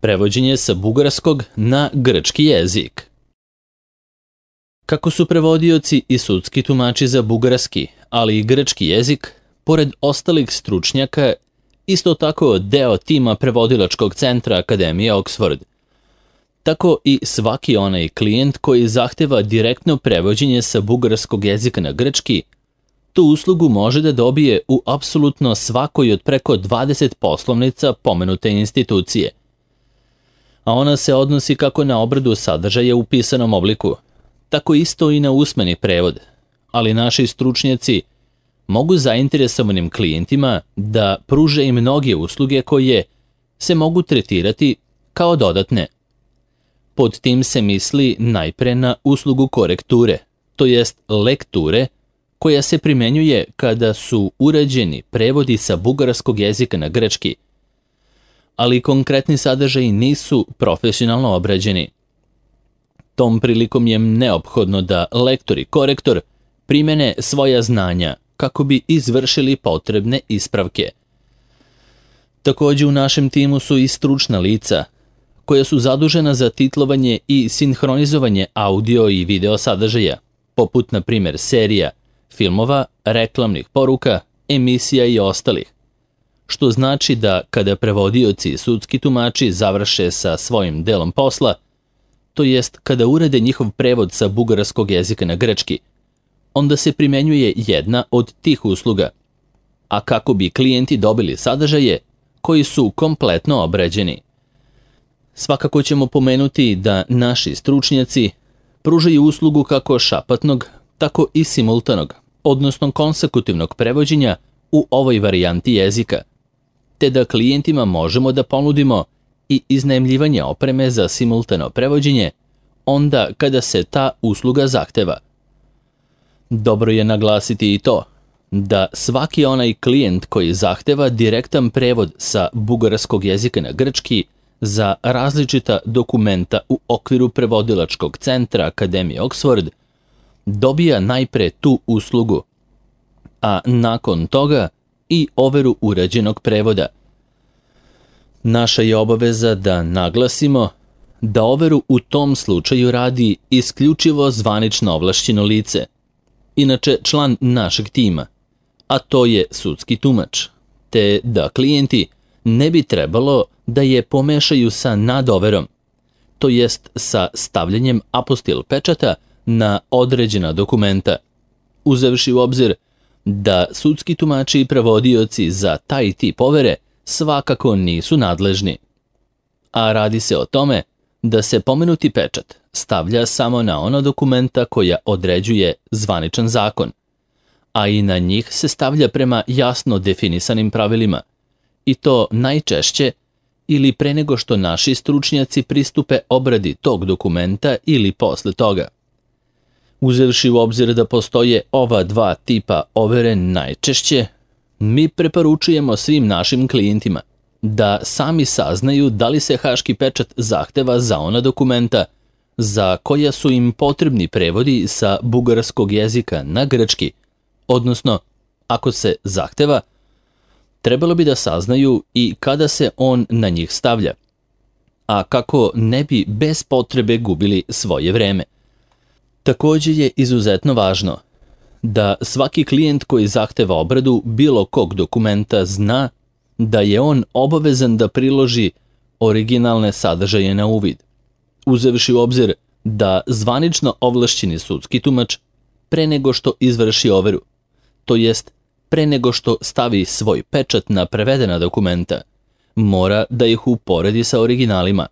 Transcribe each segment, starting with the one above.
Prevođenje sa bugarskog na grčki jezik. Kako su prevodioci i sudski tumači za bugarski, ali i grčki jezik, pored ostalih stručnjaka, isto tako deo tima prevodilačkog centra Akademije Oxford. Tako i svaki onaj klijent koji zahteva direktno prevođenje sa bugarskog jezika na grčki, tu uslugu može da dobije u apsolutno svakoj od preko 20 poslovnica pomenute institucije. A ona se odnosi kako na obradu sadržaja u pisanom obliku, tako isto i na usmeni prevod, ali naši stručnjaci mogu zainteresovanim klijentima da pruže i mnoge usluge koje se mogu tretirati kao dodatne. Pod tim se misli najpre na uslugu korekture, to jest lekture, koja se primenjuje kada su urađeni prevodi sa bugarskog jezika na grčki, ali konkretni sadržaji nisu profesionalno obrađeni. Tom prilikom je neophodno da lektor i korektor primene svoja znanja kako bi izvršili potrebne ispravke. Također u našem timu su i stručna lica koja su zadužena za titlovanje i sinhronizovanje audio i video sadržaja, poput na primjer serija, filmova, reklamnih poruka, emisija i ostalih. Što znači da kada prevodioci i sudski tumači završe sa svojim delom posla, to jest kada urade njihov prevod sa bugarskog jezika na grčki, onda se primenjuje jedna od tih usluga, a kako bi klijenti dobili sadržaje koji su kompletno obrađeni. Svakako ćemo pomenuti da naši stručnjaci pružaju uslugu kako šapatnog, tako i simultanog, odnosno konsekutivnog prevođenja u ovoj varijanti jezika, te da klijentima možemo da ponudimo i iznajmljivanje opreme za simultano prevođenje onda kada se ta usluga zahteva. Dobro je naglasiti i to da svaki onaj klijent koji zahteva direktan prevod sa bugarskog jezika na grčki za različita dokumenta u okviru prevodilačkog centra Akademije Oxford dobija najpre tu uslugu, a nakon toga i overu urađenog prevoda. Naša je obaveza da naglasimo da overu u tom slučaju radi isključivo zvanično ovlašćeno lice, inače član našeg tima, a to je sudski tumač, te da klijenti ne bi trebalo da je pomešaju sa nadoverom, to jest sa stavljanjem apostil pečata na određena dokumenta, uzevši u obzir da sudski tumači i prevodioci za taj tip overe svakako nisu nadležni. A radi se o tome da se pomenuti pečat stavlja samo na ona dokumenta koja određuje zvaničan zakon, a i na njih se stavlja prema jasno definisanim pravilima, i to najčešće ili pre nego što naši stručnjaci pristupe obradi tog dokumenta ili posle toga. Uzevši u obzir da postoje ova dva tipa overe najčešće, mi preporučujemo svim našim klijentima da sami saznaju da li se haški pečat zahteva za ona dokumenta za koja su im potrebni prevodi sa bugarskog jezika na grčki, odnosno, ako se zahteva, trebalo bi da saznaju i kada se on na njih stavlja, a kako ne bi bez potrebe gubili svoje vreme. Također je izuzetno važno da svaki klijent koji zahteva obradu bilo kog dokumenta zna da je on obavezan da priloži originalne sadržaje na uvid, uzevši u obzir da zvanično ovlašćeni sudski tumač pre nego što izvrši overu, to jest pre nego što stavi svoj pečat na prevedena dokumenta, mora da ih uporedi sa originalima,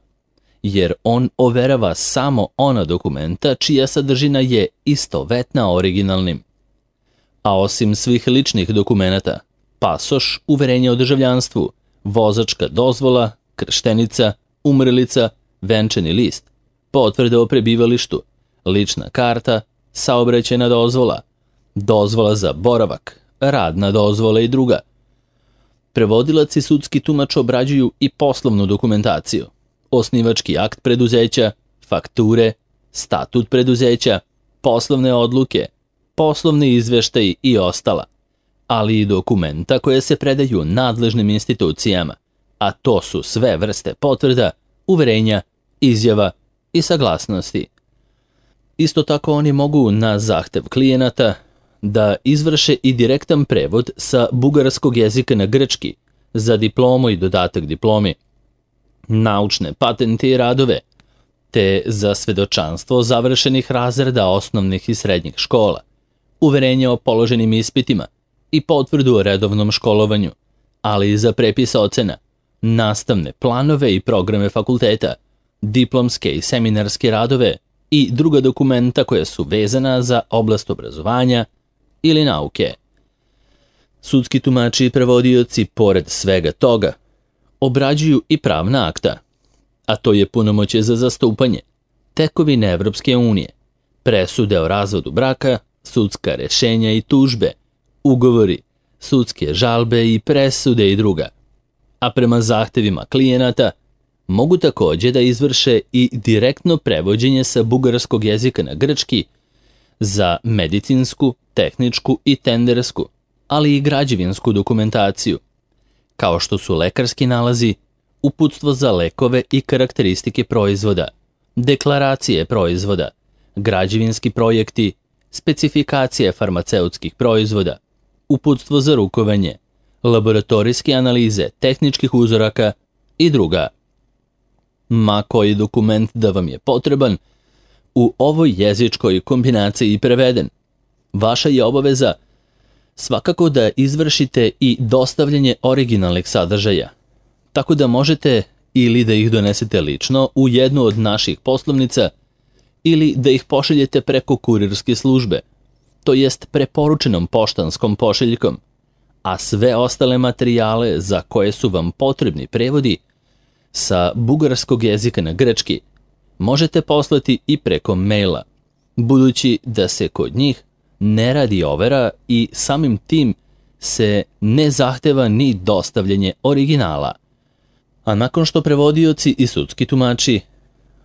jer on overava samo ona dokumenta čija sadržina je istovetna originalnim. A osim svih ličnih dokumenata, pasoš, uverenje o državljanstvu, vozačka dozvola, krštenica, umrlica, venčani list, potvrda o prebivalištu, lična karta, saobraćajna dozvola, dozvola za boravak, radna dozvola i druga. Prevodilac i sudski tumač obrađuju i poslovnu dokumentaciju, osnivački akt preduzeća, fakture, statut preduzeća, poslovne odluke, poslovni izveštaji i ostala, ali i dokumenta koje se predaju nadležnim institucijama, a to su sve vrste potvrda, uverenja, izjava i saglasnosti. Isto tako oni mogu na zahtev klijenata da izvrše i direktan prevod sa bugarskog jezika na grčki za diplomu i dodatak diplomi, naučne patente i radove, te za svedočanstvo završenih razreda osnovnih i srednjih škola, uverenje o položenim ispitima i potvrdu o redovnom školovanju, ali i za prepis ocena, nastavne planove i programe fakulteta, diplomske i seminarske radove i druga dokumenta koja su vezana za oblast obrazovanja ili nauke. Sudski tumači i prevodioci, pored svega toga, obrađuju i pravna akta, a to je punomoćje za zastupanje, tekovine Evropske unije, presude o razvodu braka, sudska rešenja i tužbe, ugovori, sudske žalbe i presude i druga. A prema zahtevima klijenata mogu također da izvrše i direktno prevođenje sa bugarskog jezika na grčki za medicinsku, tehničku i tendersku, ali i građevinsku dokumentaciju, kao što su lekarski nalazi, uputstvo za lekove i karakteristike proizvoda, deklaracije proizvoda, građevinski projekti, specifikacije farmaceutskih proizvoda, uputstvo za rukovanje, laboratorijske analize tehničkih uzoraka i druga. Ma koji dokument da vam je potreban, u ovoj jezičkoj kombinaciji preveden, vaša je obaveza svakako da izvršite i dostavljanje originalnih sadržaja, tako da možete ili da ih donesete lično u jednu od naših poslovnica ili da ih pošaljete preko kurirske službe, to jest preporučenom poštanskom pošiljkom, a sve ostale materijale za koje su vam potrebni prevodi sa bugarskog jezika na grčki možete poslati i preko maila, budući da se kod njih ne radi overa i samim tim se ne zahteva ni dostavljanje originala. A nakon što prevodioci i sudski tumači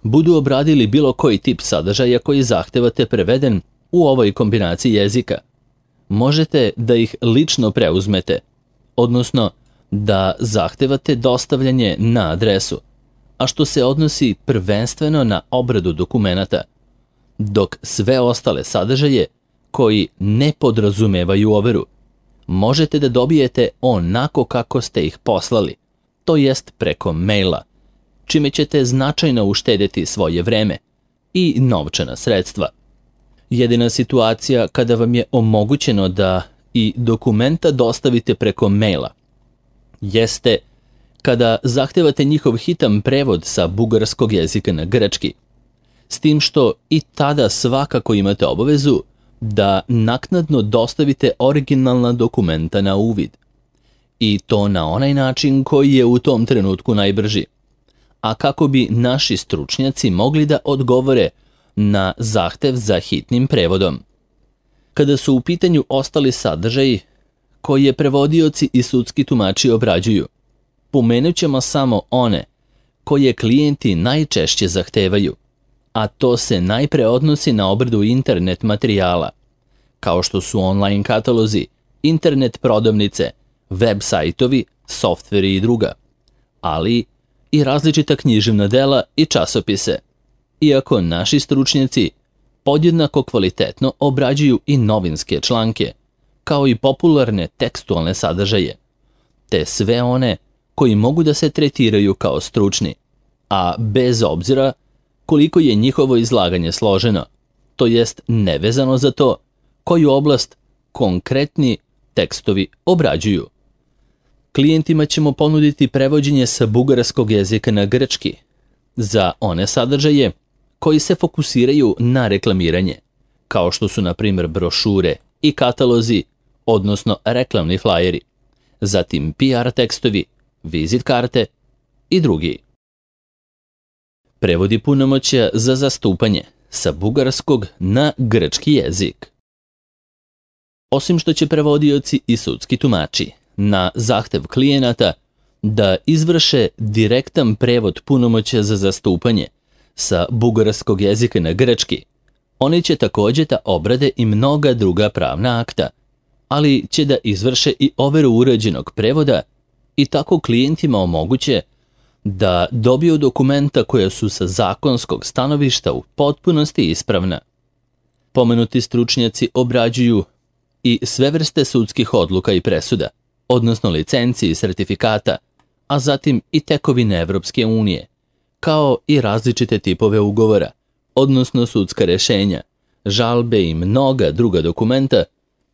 budu obradili bilo koji tip sadržaja koji zahtevate preveden u ovoj kombinaciji jezika, možete da ih lično preuzmete, odnosno da zahtevate dostavljanje na adresu, a što se odnosi prvenstveno na obradu dokumenata, dok sve ostale sadržaje koji ne podrazumevaju overu možete da dobijete onako kako ste ih poslali, to jest preko maila, čime ćete značajno uštedjeti svoje vreme i novčana sredstva. Jedina situacija kada vam je omogućeno da i dokumenta dostavite preko maila jeste kada zahtevate njihov hitan prevod sa bugarskog jezika na grčki, s tim što i tada svakako imate obavezu da naknadno dostavite originalna dokumenta na uvid. I to na onaj način koji je u tom trenutku najbrži, a kako bi naši stručnjaci mogli da odgovore na zahtev za hitnim prevodom. Kada su u pitanju ostali sadržaji koje prevodioci i sudski tumači obrađuju, pomenut ćemo samo one koje klijenti najčešće zahtevaju, a to se najpre odnosi na obradu internet materijala, kao što su online katalozi, internet prodavnice, web sajtovi, softveri i druga, ali i različita književna dela i časopise, iako naši stručnjaci podjednako kvalitetno obrađuju i novinske članke, kao i popularne tekstualne sadržaje, te sve one koji mogu da se tretiraju kao stručni, a bez obzira koliko je njihovo izlaganje složeno, to jest nevezano za to koju oblast konkretni tekstovi obrađuju. Klijentima ćemo ponuditi prevođenje sa bugarskog jezika na grčki za one sadržaje koji se fokusiraju na reklamiranje, kao što su na primjer brošure i katalozi, odnosno reklamni flajeri, zatim PR tekstovi, vizit karte i drugi. Prevodi punomoćja za zastupanje sa bugarskog na grčki jezik. Osim što će prevodioci i sudski tumači na zahtev klijenata da izvrše direktan prevod punomoćja za zastupanje sa bugarskog jezika na grčki, oni će također da obrade i mnoga druga pravna akta, ali će da izvrše i overu uređenog prevoda i tako klijentima omoguće da dobiju dokumenta koja su sa zakonskog stanovišta u potpunosti ispravna. Pomenuti stručnjaci obrađuju i sve vrste sudskih odluka i presuda, odnosno licenci i sertifikata, a zatim i tekovine Evropske unije, kao i različite tipove ugovora, odnosno sudska rešenja, žalbe i mnoga druga dokumenta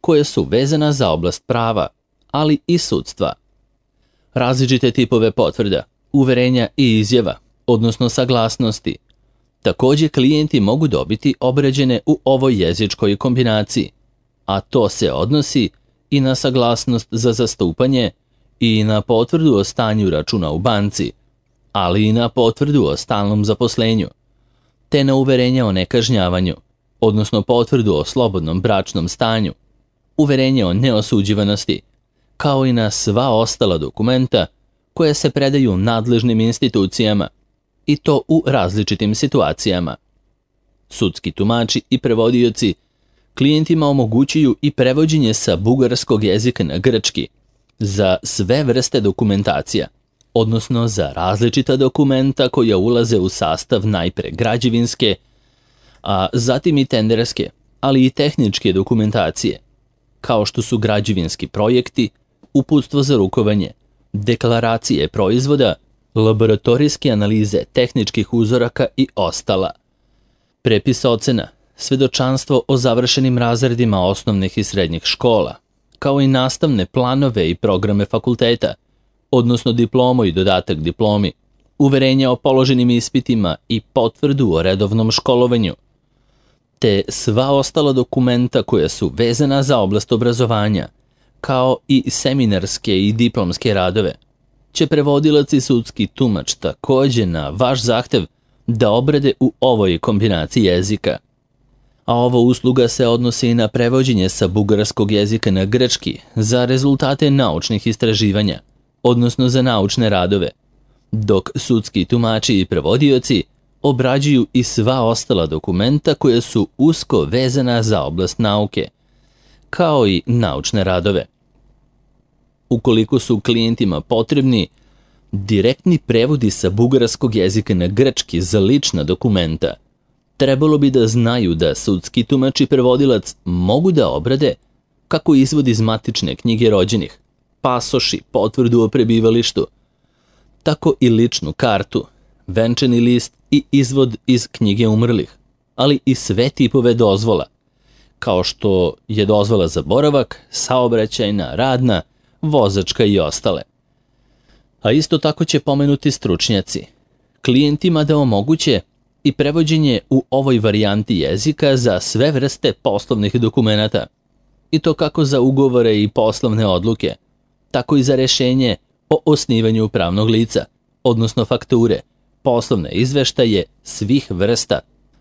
koje su vezana za oblast prava, ali i sudstva. Različite tipove potvrda, uverenja i izjava, odnosno saglasnosti. Također klijenti mogu dobiti obrađene u ovoj jezičkoj kombinaciji, a to se odnosi i na saglasnost za zastupanje i na potvrdu o stanju računa u banci, ali i na potvrdu o stalnom zaposlenju, te na uverenje o nekažnjavanju, odnosno potvrdu o slobodnom bračnom stanju, uverenje o neosuđivanosti, kao i na sva ostala dokumenta koje se predaju nadležnim institucijama, i to u različitim situacijama. Sudski tumači i prevodioci klijentima omogućuju i prevođenje sa bugarskog jezika na grčki za sve vrste dokumentacija, odnosno za različita dokumenta koja ulaze u sastav najpre građevinske, a zatim i tenderske, ali i tehničke dokumentacije, kao što su građevinski projekti, uputstvo za rukovanje, deklaracije proizvoda, laboratorijske analize tehničkih uzoraka i ostala. Prepis ocena, svedočanstvo o završenim razredima osnovnih i srednjih škola, kao i nastavne planove i programe fakulteta, odnosno diplomu i dodatak diplomi, uverenja o položenim ispitima i potvrdu o redovnom školovanju, te sva ostala dokumenta koja su vezana za oblast obrazovanja, kao i seminarske i diplomske radove, će prevodilac i sudski tumač također na vaš zahtev da obrade u ovoj kombinaciji jezika. A ova usluga se odnosi i na prevođenje sa bugarskog jezika na grčki za rezultate naučnih istraživanja, odnosno za naučne radove, dok sudski tumači i prevodioci obrađuju i sva ostala dokumenta koja su usko vezana za oblast nauke, kao i naučne radove. Ukoliko su klijentima potrebni direktni prevodi sa bugarskog jezika na grčki za lična dokumenta, trebalo bi da znaju da sudski tumač i prevodilac mogu da obrade kako izvod iz matične knjige rođenih, pasoši, potvrdu o prebivalištu, tako i ličnu kartu, venčani list i izvod iz knjige umrlih, ali i sve tipove dozvola, kao što je dozvola za boravak, saobraćajna, radna, vozačka i ostale. A isto tako će pomenuti stručnjaci klijentima da omoguće i prevođenje u ovoj varijanti jezika za sve vrste poslovnih dokumenata, i to kako za ugovore i poslovne odluke, tako i za rešenje o osnivanju pravnog lica, odnosno fakture, poslovne izveštaje svih vrsta,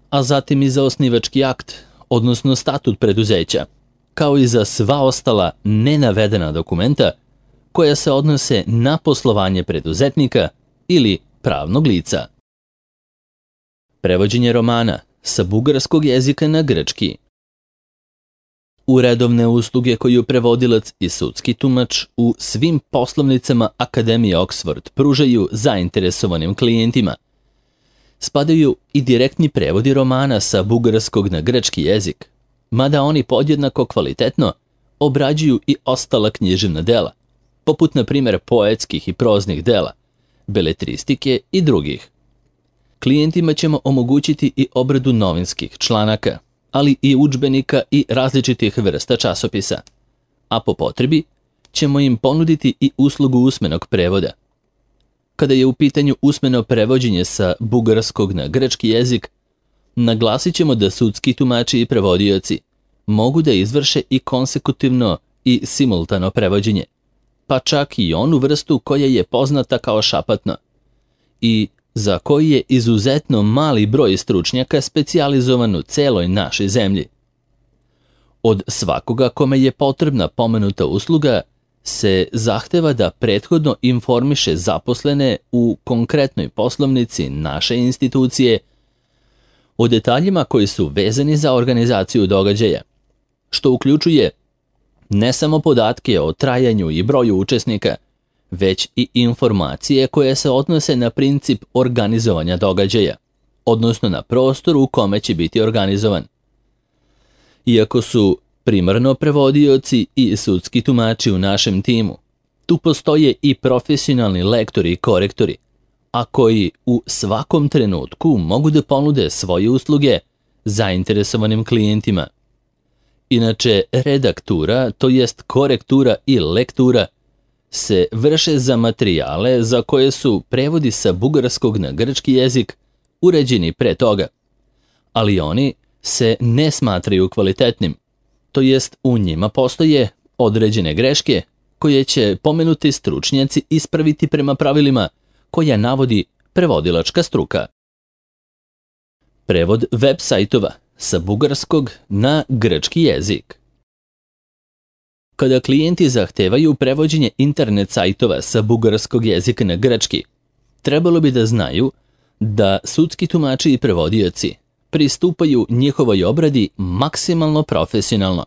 a zatim i za osnivački akt, odnosno statut preduzeća, kao i za sva ostala nenavedena dokumenta koja se odnose na poslovanje preduzetnika ili pravnog lica. Prevođenje romana sa bugarskog jezika na grčki. U redovne usluge koju prevodilac i sudski tumač u svim poslovnicama Akademije Oxford pružaju zainteresovanim klijentima spadaju i direktni prevodi romana sa bugarskog na grčki jezik, mada oni podjednako kvalitetno obrađuju i ostala književna dela, poput na primjer poetskih i proznih dela, beletristike i drugih. Klijentima ćemo omogućiti i obradu novinskih članaka, ali i udžbenika i različitih vrsta časopisa, a po potrebi ćemo im ponuditi i uslugu usmenog prevoda. Kada je u pitanju usmeno prevođenje sa bugarskog na grčki jezik, naglasit ćemo da sudski tumači i prevodioci mogu da izvrše i konsekutivno i simultano prevođenje, pa čak i onu vrstu koja je poznata kao šapatno i za koji je izuzetno mali broj stručnjaka specijalizovan u celoj našoj zemlji. Od svakoga kome je potrebna pomenuta usluga se zahteva da prethodno informiše zaposlene u konkretnoj poslovnici naše institucije o detaljima koji su vezani za organizaciju događaja, što uključuje ne samo podatke o trajanju i broju učesnika, već i informacije koje se odnose na princip organizovanja događaja, odnosno na prostor u kome će biti organizovan. Iako su primarno prevodioci i sudski tumači u našem timu, tu postoje i profesionalni lektori i korektori, a koji u svakom trenutku mogu da ponude svoje usluge zainteresovanim klijentima. Inače, redaktura, to jest korektura i lektura, se vrše za materijale za koje su prevodi sa bugarskog na grčki jezik uređeni pre toga, ali oni se ne smatraju kvalitetnim, to jest u njima postoje određene greške koje će pomenuti stručnjaci ispraviti prema pravilima koja navodi prevodilačka struka. Prevod web sajtova sa bugarskog na grčki jezik. Kada klijenti zahtevaju prevođenje internet sajtova sa bugarskog jezika na grčki, trebalo bi da znaju da sudski tumači i prevodioci pristupaju njihovoj obradi maksimalno profesionalno.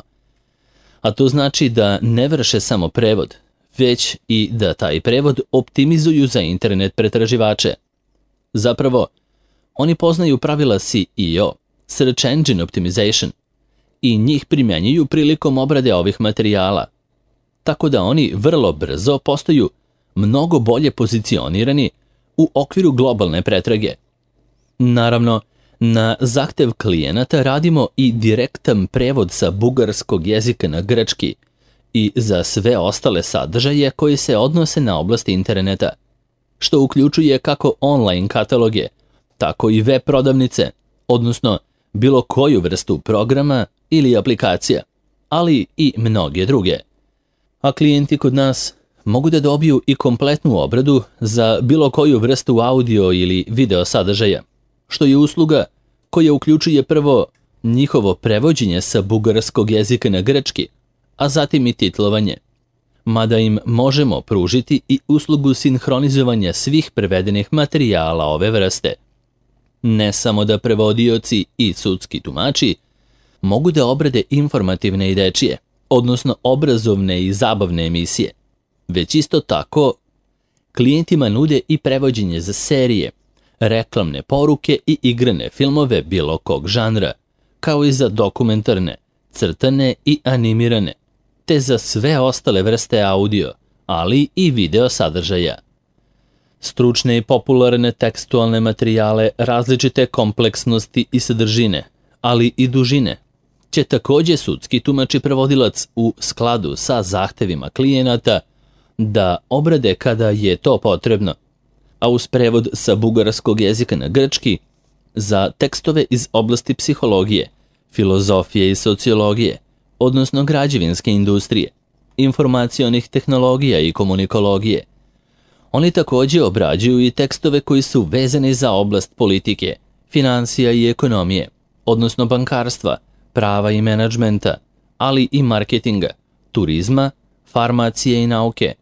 A to znači da ne vrše samo prevod, već i da taj prevod optimizuju za internet pretraživače. Zapravo, oni poznaju pravila SEO, Search Engine Optimization, i njih primjenjuju prilikom obrade ovih materijala, tako da oni vrlo brzo postaju mnogo bolje pozicionirani u okviru globalne pretrage. Naravno, na zahtev klijenata radimo i direktan prevod sa bugarskog jezika na grčki i za sve ostale sadržaje koji se odnose na oblast interneta, što uključuje kako online kataloge, tako i web prodavnice, odnosno bilo koju vrstu programa ili aplikacija, ali i mnoge druge. A klijenti kod nas mogu da dobiju i kompletnu obradu za bilo koju vrstu audio ili video sadržaja, što je usluga koja uključuje prvo njihovo prevođenje sa bugarskog jezika na grčki, a zatim i titlovanje, mada im možemo pružiti i uslugu sinhronizovanja svih prevedenih materijala ove vrste. Ne samo da prevodioci i sudski tumači mogu da obrade informativne i dečije, odnosno obrazovne i zabavne emisije, već isto tako klijentima nude i prevođenje za serije, reklamne poruke i igrane filmove bilo kog žanra, kao i za dokumentarne, crtane i animirane, te za sve ostale vrste audio, ali i video sadržaja. Stručne i popularne tekstualne materijale različite kompleksnosti i sadržine, ali i dužine, će takođe sudski tumač i prevodilac u skladu sa zahtevima klijenata da obrade kada je to potrebno, a uz prevod sa bugarskog jezika na grčki za tekstove iz oblasti psihologije, filozofije i sociologije, odnosno građevinske industrije, informacionih tehnologija i komunikologije. Oni takođe obrađuju i tekstove koji su vezani za oblast politike, finansija i ekonomije, odnosno bankarstva, prava i menadžmenta, ali i marketinga, turizma, farmacije i nauke,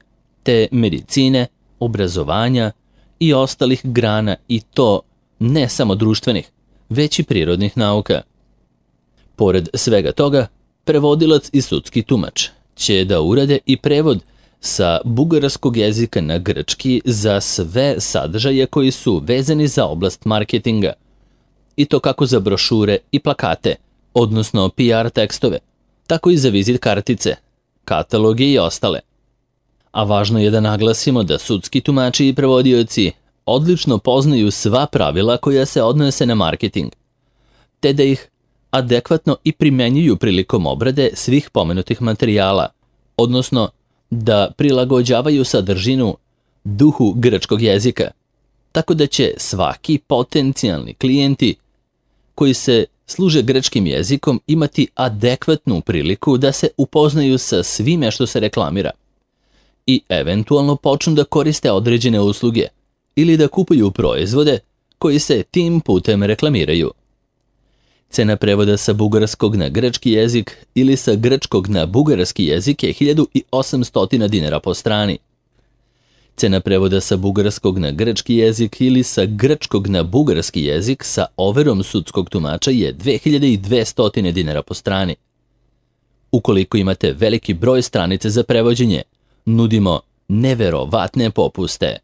te medicine, obrazovanja i ostalih grana, i to ne samo društvenih, već i prirodnih nauka. Pored svega toga, prevodilac i sudski tumač će da urade i prevod sa bugarskog jezika na grčki za sve sadržaje koji su vezani za oblast marketinga, i to kako za brošure i plakate, odnosno PR tekstove, tako i za vizit kartice, kataloge i ostale. A važno je da naglasimo da sudski tumači i prevodioci odlično poznaju sva pravila koja se odnose na marketing, te da ih adekvatno i primenjuju prilikom obrade svih pomenutih materijala, odnosno da prilagođavaju sadržinu duhu grčkog jezika, tako da će svaki potencijalni klijenti koji se služe grčkim jezikom imati adekvatnu priliku da se upoznaju sa svime što se reklamira i eventualno počnu da koriste određene usluge ili da kupuju proizvode koji se tim putem reklamiraju. Cena prevoda sa bugarskog na grčki jezik ili sa grčkog na bugarski jezik je 1800 dinara po strani. Cena prevoda sa bugarskog na grčki jezik ili sa grčkog na bugarski jezik sa overom sudskog tumača je 2200 dinara po strani. Ukoliko imate veliki broj stranice za prevođenje, nudimo neverovatne popuste.